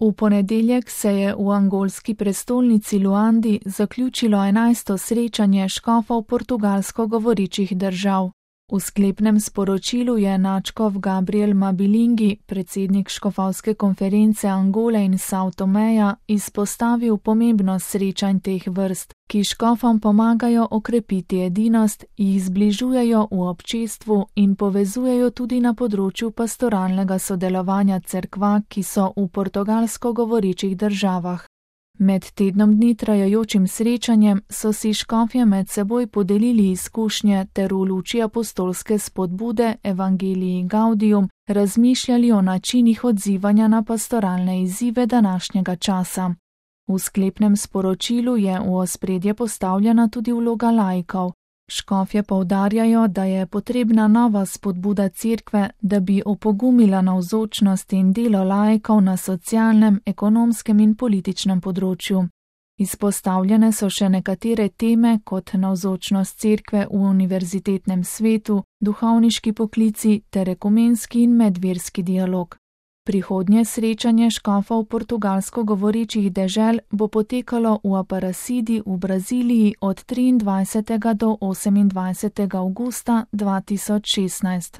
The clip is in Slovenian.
V ponedeljek se je v angolski prestolnici Luandi zaključilo 11. srečanje škofov portugalsko govorečih držav. V sklepnem sporočilu je nadškof Gabriel Mabilingi, predsednik škofovske konference Angole in Sao Tomeja, izpostavil pomembnost srečanj teh vrst, ki škofom pomagajo okrepiti edinost, jih zbližujejo v občestvu in povezujejo tudi na področju pastoralnega sodelovanja cerkva, ki so v portugalsko govorečih državah. Med tednom dni trajajočim srečanjem so si škofje med seboj podelili izkušnje ter v luči apostolske spodbude Evangelii Gaudium razmišljali o načinih odzivanja na pastoralne izzive današnjega časa. V sklepnem sporočilu je v ospredje postavljena tudi vloga laikov. Škofje poudarjajo, da je potrebna nova spodbuda cerkve, da bi opogumila navzočnost in delo laikov na socialnem, ekonomskem in političnem področju. Izpostavljene so še nekatere teme kot navzočnost cerkve v univerzitetnem svetu, duhovniški poklici ter ekumenski in medverski dialog. Prihodnje srečanje škofov portugalsko govorečih dežel bo potekalo v Aparecidi v Braziliji od 23. do 28. avgusta 2016.